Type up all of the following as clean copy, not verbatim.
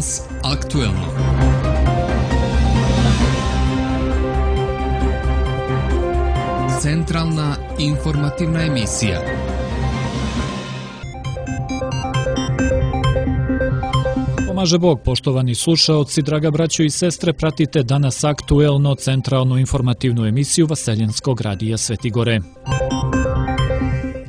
Danas aktuelno. Centralna informativna emisija. Pomaže Bog, poštovani slušaoci, draga braćo i sestre, pratite Danas aktuelno centralnu informativnu emisiju Vaseljenskog radija Svetigore.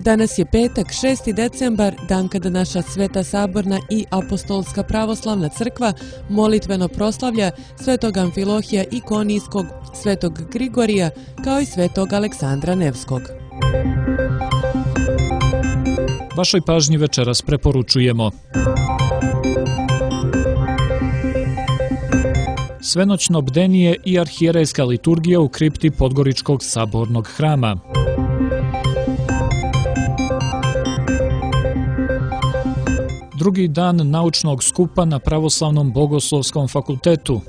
Danas je petak, 6. decembar, dan kada naša Sveta Saborna i Apostolska pravoslavna crkva molitveno proslavlja Svetog Amfilohija Ikonijskog, Svetog Grigorija, kao i Svetog Aleksandra Nevskog. Vašoj pažnji večeras preporučujemo: svenoćno bdenije i arhijerejska liturgija u kripti Podgoričkog sabornog hrama, drugi dan naučnog skupa na Pravoslavnom bogoslovskom fakultetu,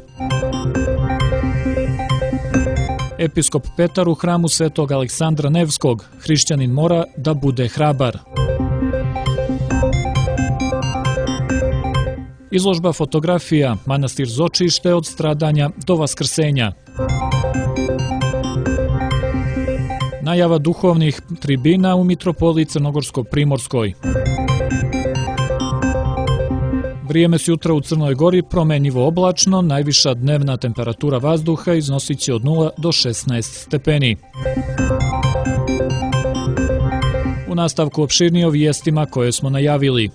episkop Petar u hramu Svetog Aleksandra Nevskog: hrišćanin mora da bude hrabar. Izložba fotografija Manastir Zočište od stradanja do vaskrsenja. Najava duhovnih tribina u mitropoliji Crnogorsko-Primorskoj. Vrijeme s jutra u Crnoj Gori promenjivo oblačno, najviša dnevna temperatura vazduha iznosit će od 0 do 16 stepeni. U nastavku opširnije o vijestima koje smo najavili.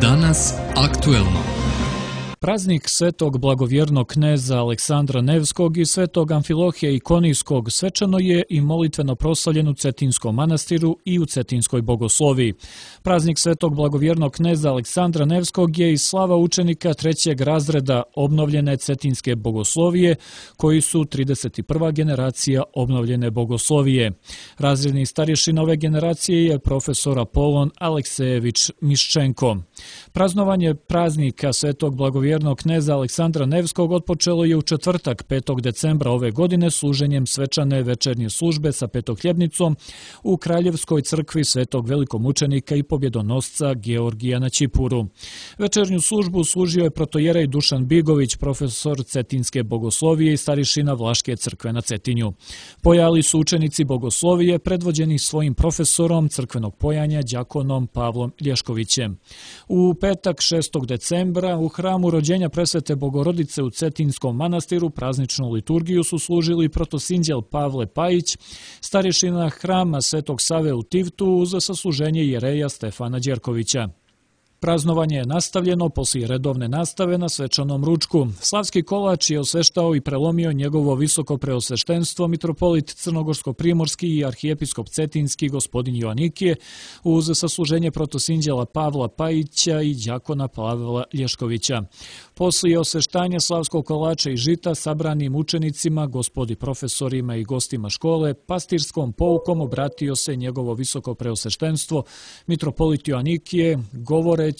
Danas aktuelno. Praznik Svetog blagovjernog kneza Aleksandra Nevskog i Svetog Amfilohija Ikonijskog svečano je i molitveno proslavljen u Cetinskom manastiru i u Cetinskoj bogosloviji. Praznik Svetog blagovjernog kneza Aleksandra Nevskog je i slava učenika trećeg razreda obnovljene Cetinske bogoslovije, koji su 31. generacija obnovljene bogoslovije. Razredni starješin ove generacije je profesor Apolon Aleksejević Miščenko. Praznovanje praznika Svetog blagovjernog kneza Aleksandra Nevskog otpočelo je u četvrtak 5. decembra ove godine služenjem svečane večernje službe sa petohljebnicom u Kraljevskoj crkvi Svetog velikomučenika i pobjedonosca Georgija na Ćipuru. Večernju službu služio je protojerej Dušan Bigović, profesor Cetinske bogoslovije i starješina Vlaške crkve na Cetinju. Pojali su učenici bogoslovije predvođeni svojim profesorom crkvenog pojanja đakonom Pavlom Lješkovićem. U petak 6. decembra u hramu rođenja presvete Bogorodice u Cetinskom manastiru prazničnu liturgiju su služili protosinđel Pavle Pajić, starješina hrama Svetog Save u Tivtu uz sasluženje jereja Stefana Đerkovića. Praznovanje je nastavljeno poslije redovne nastave na svečanom ručku. Slavski kolač je osveštao i prelomio njegovo visoko preosveštenstvo mitropolit Crnogorsko-Primorski i arhijepiskop Cetinski gospodin Joanikije uz sasluženje protosinđela Pavla Pajića i đakona Pavla Lješkovića. Poslije osveštanja slavskog kolača i žita sabranim učenicima, gospodi profesorima i gostima škole, pastirskom poukom obratio se njegovo visoko preosveštenstvo mitropolit Joanikije, govoreći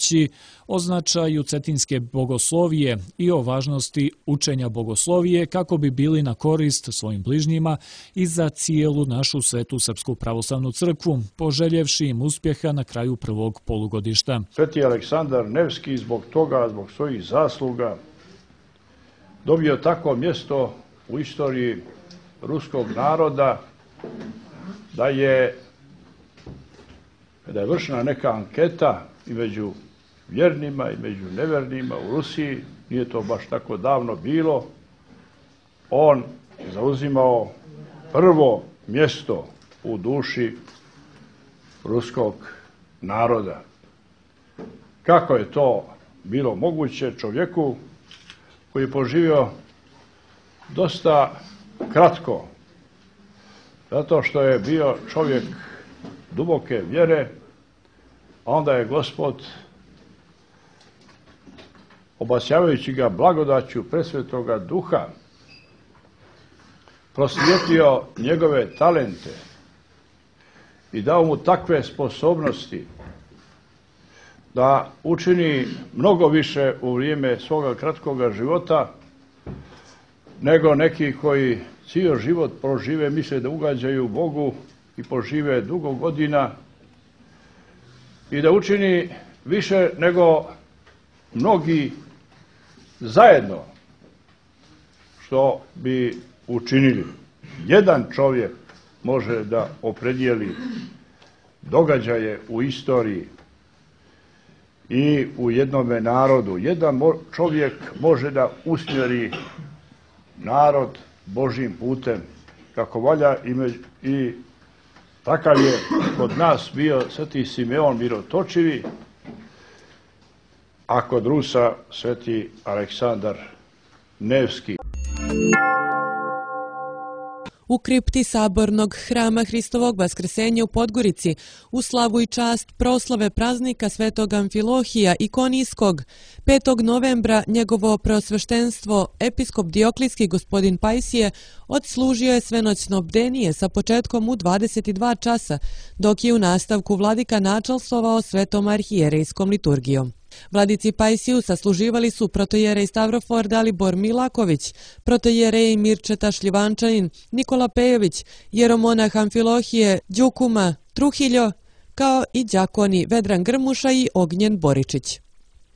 o značaju Cetinske bogoslovije i o važnosti učenja bogoslovije kako bi bili na korist svojim bližnjima i za cijelu našu Svetu Srpsku pravoslavnu crkvu, poželjevši im uspjeha na kraju prvog polugodišta. Sveti Aleksandar Nevski zbog toga, zbog svojih zasluga, dobio takvo mjesto u istoriji ruskog naroda da je, kada je vršena neka anketa i među vjernima i među nevjernima u Rusiji, nije to baš tako davno bilo, on zauzimao prvo mjesto u duši ruskog naroda. Kako je to bilo moguće čovjeku koji je poživio dosta kratko, zato što je bio čovjek duboke vjere, a onda je Gospod, obasjavajući ga blagodaću presvetoga duha, prosvijetlio njegove talente i dao mu takve sposobnosti da učini mnogo više u vrijeme svoga kratkoga života nego neki koji cijel život prožive, misle da ugađaju Bogu i požive dugo godina i da učini više nego mnogi zajedno što bi učinili. Jedan čovjek može da opredijeli događaje u istoriji i u jednome narodu. Jedan čovjek može da usmjeri narod Božjim putem kako valja i takav je kod nas bio sveti Simeon Mirotočivi, a kod Rusa sveti Aleksandar Nevski. U kripti Sabornog hrama Hristovog Vaskrsenja u Podgorici u slavu i čast proslave praznika svetog Amfilohija Ikonijskog 5. novembra njegovo preosveštenstvo episkop Dioklijski gospodin Pajsije odslužio je svenoćno bdenije sa početkom u 22 časa, dok je u nastavku vladika načalstvovao svetom arhijerejskom liturgijom. Vladici Pajsiju sasluživali su protojerej Stavrofor Dalibor Milaković, protojerej Mirčeta Šljivančanin, Nikola Pejović, jeromonah Amfilohije Đukuma Truhiljo, kao i đakoni Vedran Grmuša i Ognjen Boričić.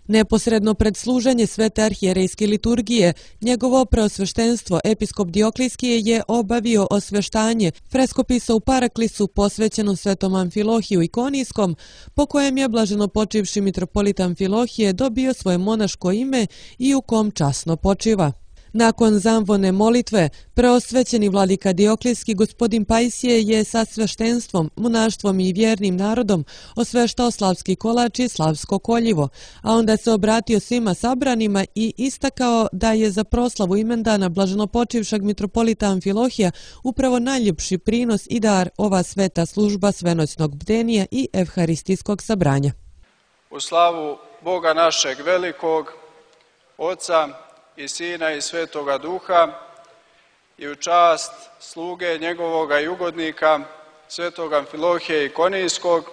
Neposredno pred služenje svete arhijerejske liturgije, njegovo preosveštenstvo episkop Dioklijski je obavio osveštanje freskopisa u Paraklisu posvećeno svetom Amfilohiju Ikonijskom, po kojem je blaženo počivši mitropolit Amfilohije dobio svoje monaško ime i u kom časno počiva. Nakon zamvone molitve, preosvećeni vladika Dioklijski gospodin Pajsije je sa sveštenstvom, monaštvom i vjernim narodom osveštao slavski kolač i slavsko koljivo, a onda se obratio svima sabranima i istakao da je za proslavu imendana blaženopočivšeg mitropolita Amfilohija upravo najljepši prinos i dar ova sveta služba svenoćnog bdenija i evharistijskog sabranja. U slavu Boga našeg velikog, Oca i Sina i Svetoga Duha i u čast sluge njegovoga i ugodnika svetog Amfilohija Ikonijskog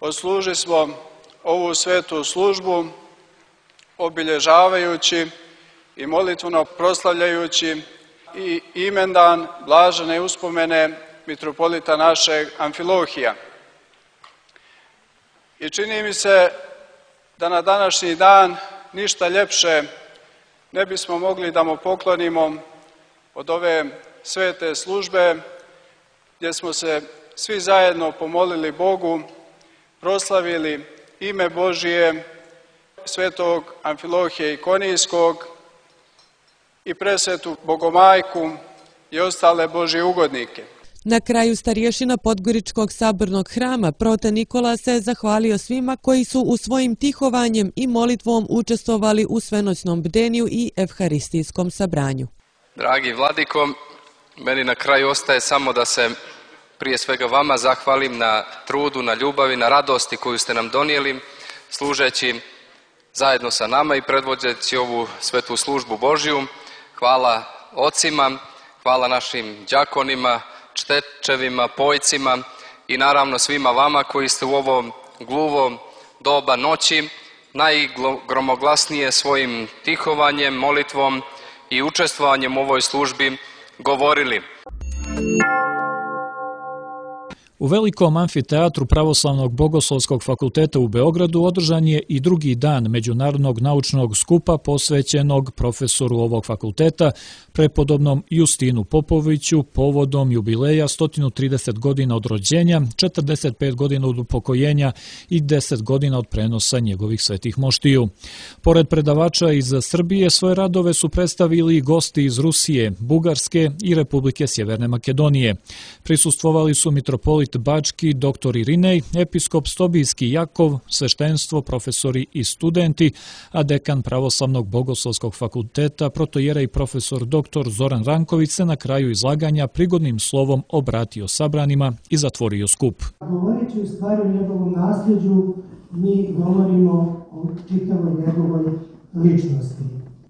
odsluži smo ovu svetu službu obilježavajući i molitveno proslavljajući i imendan blažene uspomene mitropolita našeg Amfilohija. I čini mi se da na današnji dan ništa ljepše ne bismo mogli da mu poklonimo od ove svete službe gdje smo se svi zajedno pomolili Bogu, proslavili ime Božije, svetog Amfilohija Ikonijskog i presvetu Bogomajku i ostale Božje ugodnike. Na kraju starješina Podgoričkog sabornog hrama prote Nikola se zahvalio svima koji su u svojim tihovanjem i molitvom učestvovali u svenoćnom bdeniju i evharistijskom sabranju. Dragi vladiko, meni na kraju ostaje samo da se prije svega vama zahvalim na trudu, na ljubavi, na radosti koju ste nam donijeli, služeći zajedno sa nama i predvođeći ovu svetu službu Božju. Hvala ocima, hvala našim đakonima, čtečevima, pojcima i naravno svima vama koji ste u ovom gluvom doba noći najgromoglasnije svojim tihovanjem, molitvom i učestvovanjem u ovoj službi govorili. U velikom amfiteatru Pravoslavnog bogoslovskog fakulteta u Beogradu održan je i drugi dan Međunarodnog naučnog skupa posvećenog profesoru ovog fakulteta, prepodobnom Justinu Popoviću, povodom jubileja 130 godina od rođenja, 45 godina od upokojenja i 10 godina od prenosa njegovih svetih moštiju. Pored predavača iz Srbije, svoje radove su predstavili i gosti iz Rusije, Bugarske i Republike Sjeverne Makedonije. Prisustvovali su mitropolit Bački, dr. Irinej, episkop Stobijski Jakov, sveštenstvo, profesori i studenti, a dekan Pravoslavnog bogoslovskog fakulteta, protojerej profesor dr. Zoran Ranković se na kraju izlaganja prigodnim slovom obratio sabranima i zatvorio skup. Govoreći u stvari o njegovom nasljeđu, mi govorimo o čitavoj njegovoj ličnosti.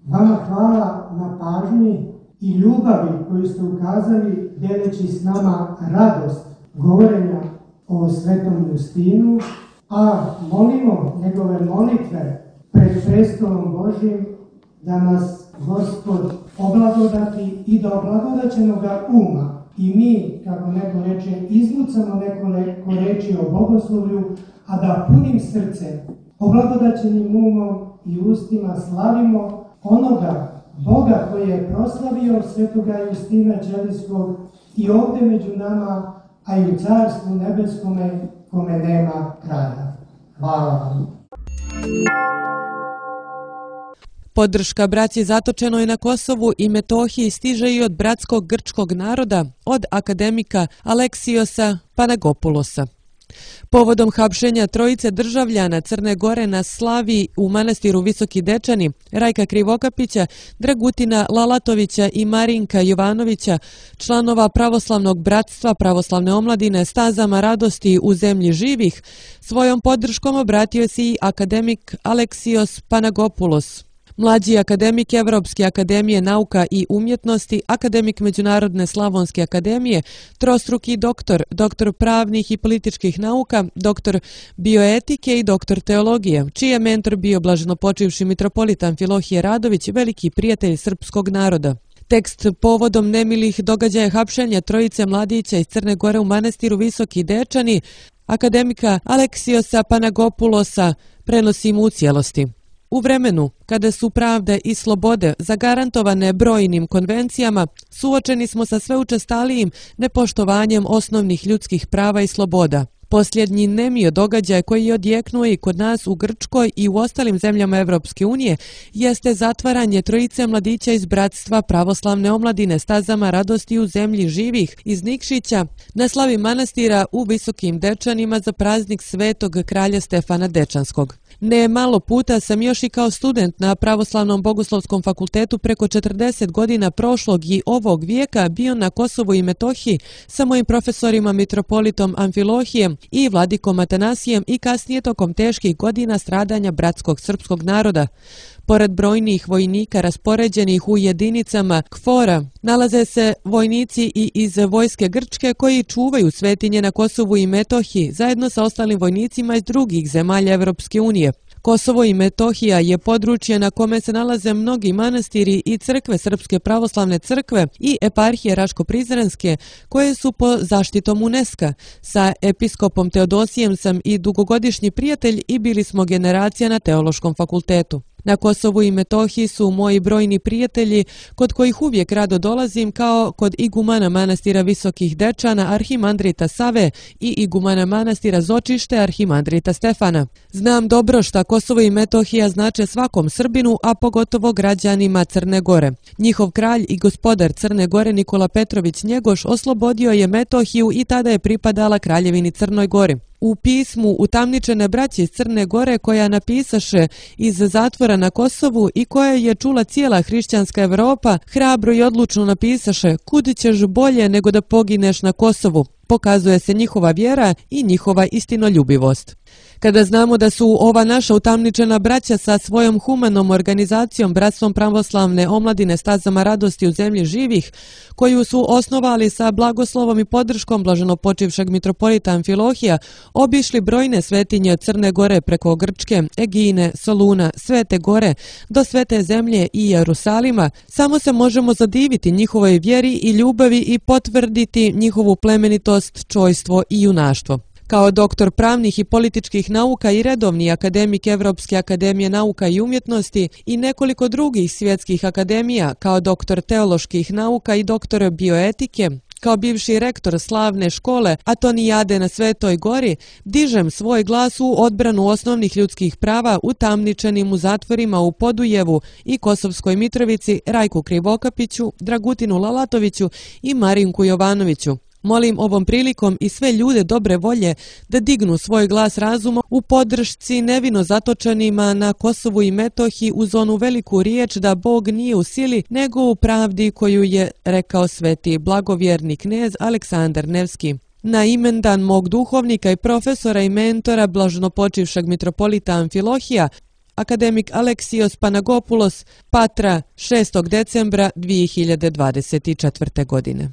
Vama hvala na pažnji i ljubavi koju ste ukazali deleći s nama radost govorenja o svetom Justinu, a molimo njegove molitve pred prestolom Božjim da nas Gospod oblagodati i da oblagodaćenoga uma i mi, kako neko reče, izlucamo neko reči o bogoslovlju, a da punim srcem, oblagodaćenim umom i ustima slavimo onoga Boga koji je proslavio svetoga Justina Ćelijskog i ovdje među nama, a i u Carstvu nebeskome kome nema kraja. Hvala vam. Podrška braći zatočenoj na Kosovu i Metohiji stiže i od bratskog grčkog naroda, od akademika Aleksiosa Panagopulosa. Povodom hapšenja trojice državljana Crne Gore na Slaviji u manastiru Visoki Dečani, Rajka Krivokapića, Dragutina Lalatovića i Marinka Jovanovića, članova Pravoslavnog bratstva Pravoslavne omladine Stazama radosti u zemlji živih, svojom podrškom obratio se i akademik Aleksios Panagopulos. Mlađi akademik Evropske akademije nauka i umjetnosti, akademik Međunarodne slavonske akademije, trostruki doktor, doktor pravnih i političkih nauka, doktor bioetike i doktor teologije, čiji je mentor bio blaženopočivši mitropolit Amfilohije Radović, veliki prijatelj srpskog naroda. Tekst povodom nemilih događaja hapšenja trojice mladića iz Crne Gore u manastiru Visoki Dečani, akademika Aleksiosa Panagopulosa, prenosimo u cijelosti. U vremenu kada su pravde i slobode zagarantovane brojnim konvencijama, suočeni smo sa sve učestalijim nepoštovanjem osnovnih ljudskih prava i sloboda. Posljednji nemio događaj koji je odjeknuo i kod nas u Grčkoj i u ostalim zemljama Evropske unije jeste zatvaranje trojice mladića iz bratstva Pravoslavne omladine Stazama radosti u zemlji živih iz Nikšića na slavi manastira u Visokim Dečanima za praznik Svetog kralja Stefana Dečanskog. Ne malo puta sam još i kao student na Pravoslavnom bogoslovskom fakultetu preko 40 godina prošlog i ovog vijeka bio na Kosovu i Metohiji sa mojim profesorima mitropolitom Amfilohijem i vladikom Atanasijem i kasnije tokom teških godina stradanja bratskog srpskog naroda. Pored brojnih vojnika raspoređenih u jedinicama KFOR-a, nalaze se vojnici i iz vojske Grčke koji čuvaju svetinje na Kosovu i Metohiji zajedno sa ostalim vojnicima iz drugih zemalja Evropske unije. Kosovo i Metohija je područje na kome se nalaze mnogi manastiri i crkve Srpske pravoslavne crkve i eparhije Raško-Prizrenske koje su po zaštitom UNESCO. Sa episkopom Teodosijem sam i dugogodišnji prijatelj i bili smo generacija na Teološkom fakultetu. Na Kosovu i Metohiji su moji brojni prijatelji kod kojih uvijek rado dolazim kao kod igumana manastira Visokih Dečana Arhimandrita Save i igumana manastira Zočište Arhimandrita Stefana. Znam dobro šta Kosovo i Metohija znače svakom Srbinu, a pogotovo građanima Crne Gore. Njihov kralj i gospodar Crne Gore Nikola Petrović Njegoš oslobodio je Metohiju i tada je pripadala Kraljevini Crnoj Gori. U pismu utamničene braće iz Crne Gore koja napisaše iz zatvora na Kosovu i koje je čula cijela hrišćanska Evropa, hrabro i odlučno napisaše: "Kud ćeš bolje nego da pogineš na Kosovu?" Pokazuje se njihova vjera i njihova istinoljubivost. Kada znamo da su ova naša utamničena braća sa svojom humanom organizacijom Bratstvom pravoslavne omladine Stazama radosti u zemlji živih, koju su osnovali sa blagoslovom i podrškom blaženopočivšeg mitropolita Amfilohija, obišli brojne svetinje od Crne Gore preko Grčke, Egine, Soluna, Svete Gore do Svete zemlje i Jerusalima, samo se možemo zadiviti njihovoj vjeri i ljubavi i potvrditi njihovu plemenitost, čojstvo i junaštvo. Kao doktor pravnih i političkih nauka i redovni akademik Evropske akademije nauka i umjetnosti i nekoliko drugih svjetskih akademija, kao doktor teoloških nauka i doktor bioetike, kao bivši rektor slavne škole Atonijade na Svetoj Gori, dižem svoj glas u odbranu osnovnih ljudskih prava utamničenim u zatvorima u Podujevu i Kosovskoj Mitrovici Rajku Krivokapiću, Dragutinu Lalatoviću i Marinku Jovanoviću. Molim ovom prilikom i sve ljude dobre volje da dignu svoj glas razuma u podršci nevino zatočenima na Kosovu i Metohiji uz onu veliku riječ da Bog nije u sili nego u pravdi koju je rekao sveti blagovjerni knez Aleksandar Nevski. Na imendan mog duhovnika i profesora i mentora blaženopočivšeg mitropolita Amfilohija, akademik Aleksios Panagopulos, Patra, 6. decembra 2024. godine.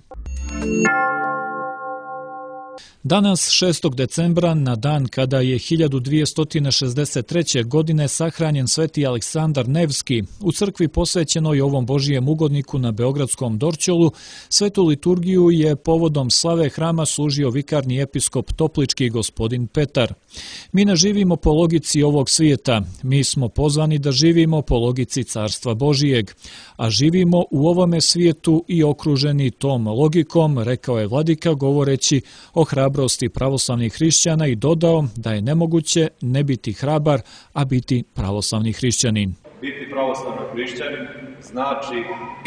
Danas, 6. decembra, na dan kada je 1263. godine sahranjen sveti Aleksandar Nevski, u crkvi posvećenoj ovom Božijem ugodniku na Beogradskom Dorćolu, svetu liturgiju je povodom slave hrama služio vikarni episkop Toplički gospodin Petar. Mi ne živimo po logici ovog svijeta, mi smo pozvani da živimo po logici Carstva Božijeg, a živimo u ovome svijetu i okruženi tom logikom, rekao je vladika govoreći o hrabrosti pravoslavnih hrišćana i dodao da je nemoguće ne biti hrabar, a biti pravoslavni hrišćanin. Biti pravoslavni hrišćanin znači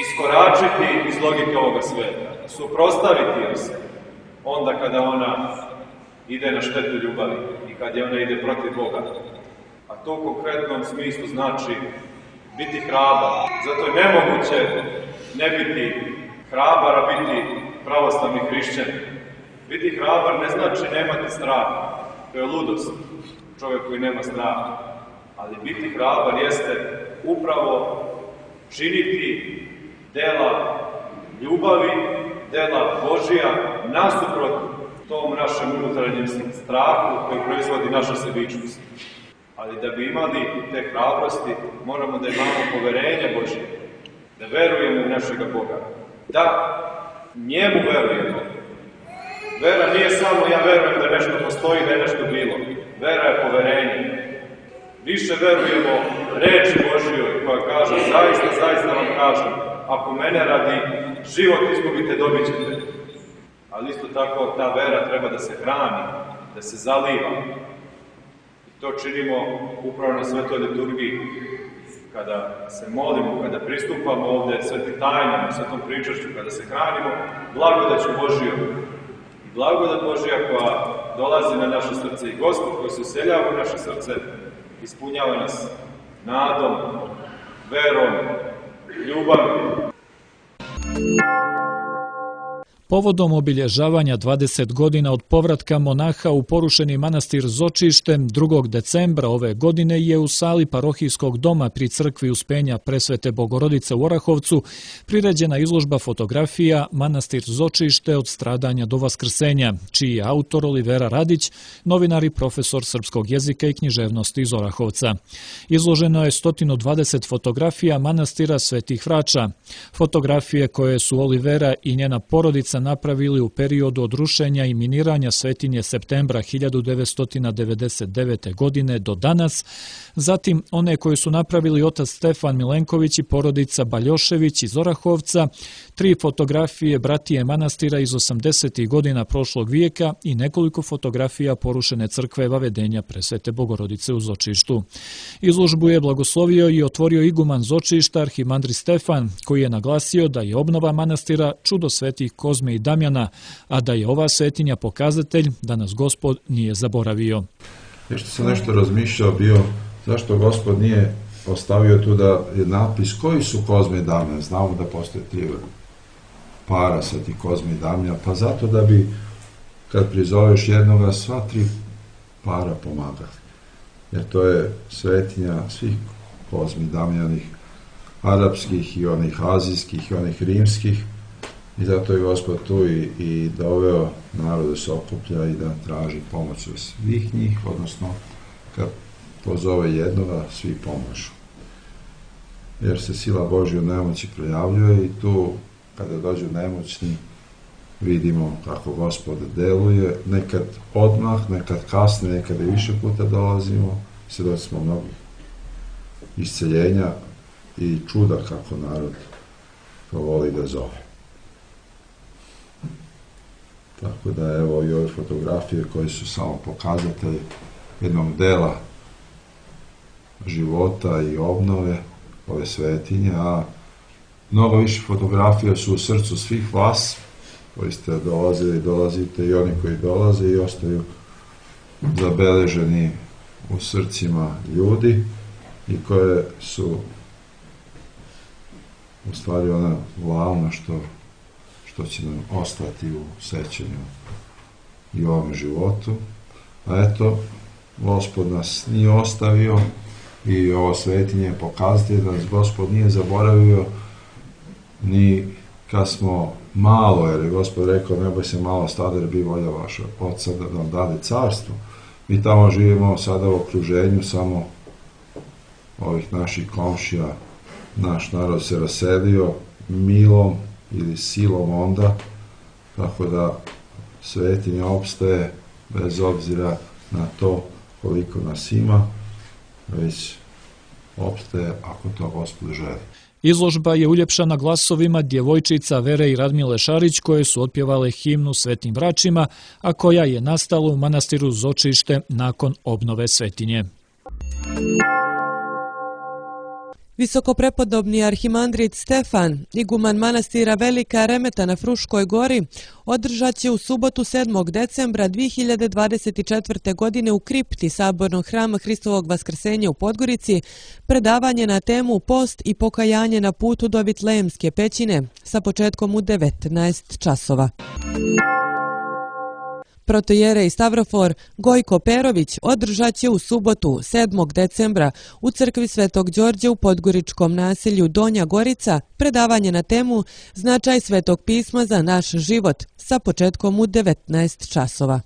iskoračiti iz logike ovoga svijeta, suprotstaviti joj se onda kada ona ide na štetu ljubavi i kad je ona ide protiv Boga. A to u konkretnom smislu znači biti hrabar. Zato je nemoguće ne biti hrabar, a biti pravoslavni hrišćanin. Biti hrabar ne znači nemati straha, to je ludost, čovjek koji nema straha. Ali biti hrabar jeste upravo činiti dela ljubavi, dela Božija, nasuprot tom našem unutarnjem strahu koji proizvodi naša sebičnost. Ali da bi imali te hrabrosti, moramo da imamo poverenje Božje, da verujemo u našega Boga, da njemu verujemo. Vera nije samo ja verujem da nešto postoji, da je nešto bilo. Vera je poverenje. Više verujemo reči Božjoj koja kaže, zaista vam kažem, ako mene radi život izgubite, dobit ćete. Ali isto tako ta vera treba da se hrani, da se zaliva. I to činimo upravo na svetoj liturgiji. Kada se molimo, kada pristupamo ovde svetim tajnama, svetom pričašću, kada se hranimo blagodaću Božjom. Blagodat Božja koja dolazi na naše srce i Gospod koji se useljava u naše srce, ispunjava nas nadom, verom, ljubavim. Povodom obilježavanja 20 godina od povratka monaha u porušeni manastir Zočište, 2. decembra ove godine je u sali parohijskog doma pri crkvi Uspenja Presvete Bogorodice u Orahovcu priređena izložba fotografija Manastir Zočište od stradanja do vaskrsenja, čiji je autor Olivera Radić, novinar i profesor srpskog jezika i književnosti iz Orahovca. Izloženo je 120 fotografija manastira Svetih Vrača. Fotografije koje su Olivera i njena porodica napravili u periodu od rušenja i miniranja Svetinje septembra 1999. godine do danas, zatim one koje su napravili otac Stefan Milenković i porodica Baljošević iz Orahovca, 3 fotografije bratije manastira iz 80. godina prošlog vijeka i nekoliko fotografija porušene crkve Vavedenja Presvete Bogorodice u Zočištu. Izložbu je blagoslovio i otvorio iguman Zočišta arhimandri Stefan, koji je naglasio da je obnova manastira čudo svetih Kozme i Damjana, a da je ova svetinja pokazatelj da nas Gospod nije zaboravio. Nešto sam nešto razmišljao bio, zašto Gospod nije ostavio tu da je napis koji su Kozme i Damjan. Znamo da postoje 3 para svetih Kozme i Damjan, pa zato da bi kad prizoveš jednoga sva 3 para pomagali. Jer to je svetinja svih Kozme i Damjanih, arapskih i onih azijskih i onih rimskih. I zato je Gospod tu i doveo narod da se okuplja i da traži pomoć od svih njih, odnosno kad pozove jednoga, svi pomožu. Jer se sila Božja u nemoći projavljuje i tu, kada dođu nemoćni, vidimo kako Gospod deluje, nekad odmah, nekad kasnije, nekad i više puta dolazimo, svedoci smo mnogih isceljenja i čuda kako narod to voli da zove. Tako da evo i ove fotografije koje su samo pokazatelji jednog dela života i obnove ove svetinje, a mnogo više fotografija su u srcu svih vas koji ste dolazili i dolazite i oni koji dolaze i ostaju zabeleženi u srcima ljudi i koje su u stvari ona glavna što će nam ostati u sećanju i u ovom životu. A eto, Gospod nas nije ostavio i ovo svetinje pokazatelj da nas Gospod nije zaboravio ni kad smo malo, jer je Gospod rekao, ne boj se malo stada, jer bi volja vaša oca da nam dade carstvo. Mi tamo živimo sada u okruženju samo ovih naših komšija. Naš narod se raselio milom ili silom onda, tako da svetinja opstaje bez obzira na to koliko nas ima, već opstaje ako to Gospod želi. Izložba je uljepšana glasovima djevojčica Vere i Radmile Šarić koje su otpjevale himnu Svetim braćima, a koja je nastala u manastiru Zočište nakon obnove svetinje. Visokoprepodobni arhimandrit Stefan, iguman manastira Velika Remeta na Fruškoj gori, održat će u subotu 7. decembra 2024. godine u kripti Sabornog hrama Hristovog Vaskrsenja u Podgorici predavanje na temu Post i pokajanje na putu do Vitlejemske pećine sa početkom u 19 časova. Protojerej Stavrofor Gojko Perović održat će u subotu 7. decembra u crkvi Svetog Đorđa u podgoričkom naselju Donja Gorica predavanje na temu Značaj Svetog pisma za naš život sa početkom u 19 časova.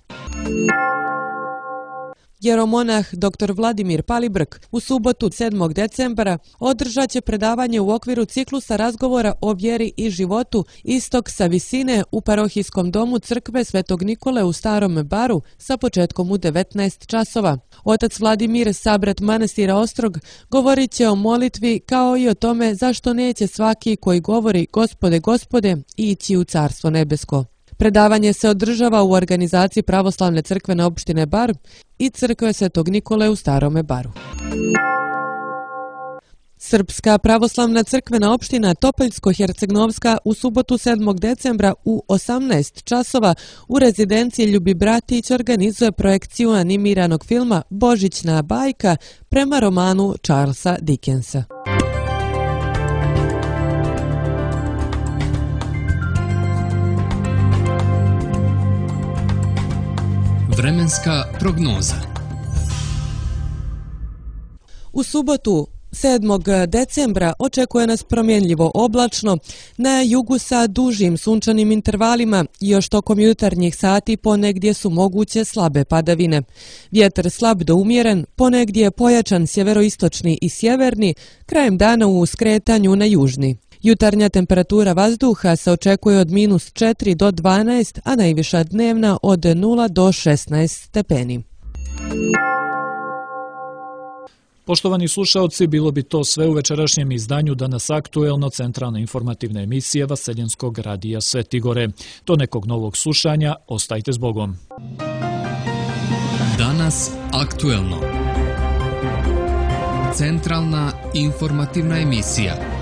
Jeromonah dr. Vladimir Palibrk u subotu 7. decembra održat će predavanje u okviru ciklusa razgovora o vjeri i životu Istok sa visine u parohijskom domu crkve Svetog Nikole u Starom Baru sa početkom u 19 časova. Otac Vladimir, sabrat manastira Ostrog, govorit će o molitvi kao i o tome zašto neće svaki koji govori Gospode, Gospode ići u Carstvo nebesko. Predavanje se održava u organizaciji Pravoslavne crkvene opštine Bar i crkve Svetog Nikole u Starome Baru. Srpska pravoslavna crkvena opština Topoljsko-Hercegnovska u subotu 7. decembra u 18 časova u rezidenciji Ljubi Bratić organizuje projekciju animiranog filma Božićna bajka prema romanu Charlesa Dickensa. Vremenska prognoza. U subotu 7. decembra očekuje nas promjenljivo oblačno, na jugu sa dužim sunčanim intervalima i još tokom jutarnjih sati ponegdje su moguće slabe padavine. Vjetar slab do umjeren, ponegdje pojačan sjeveroistočni i sjeverni, krajem dana u skretanju na južni. Jutarnja temperatura vazduha se očekuje od -4 do 12, a najviša dnevna od 0 do 16 stepeni. Poštovani slušaoci, bilo bi to sve u večerašnjem izdanju Danas aktuelno, centralna informativna emisija Vaseljenskog radija Svetigore. Do nekog novog slušanja, ostajte s Bogom. Danas aktuelno. Centralna informativna emisija.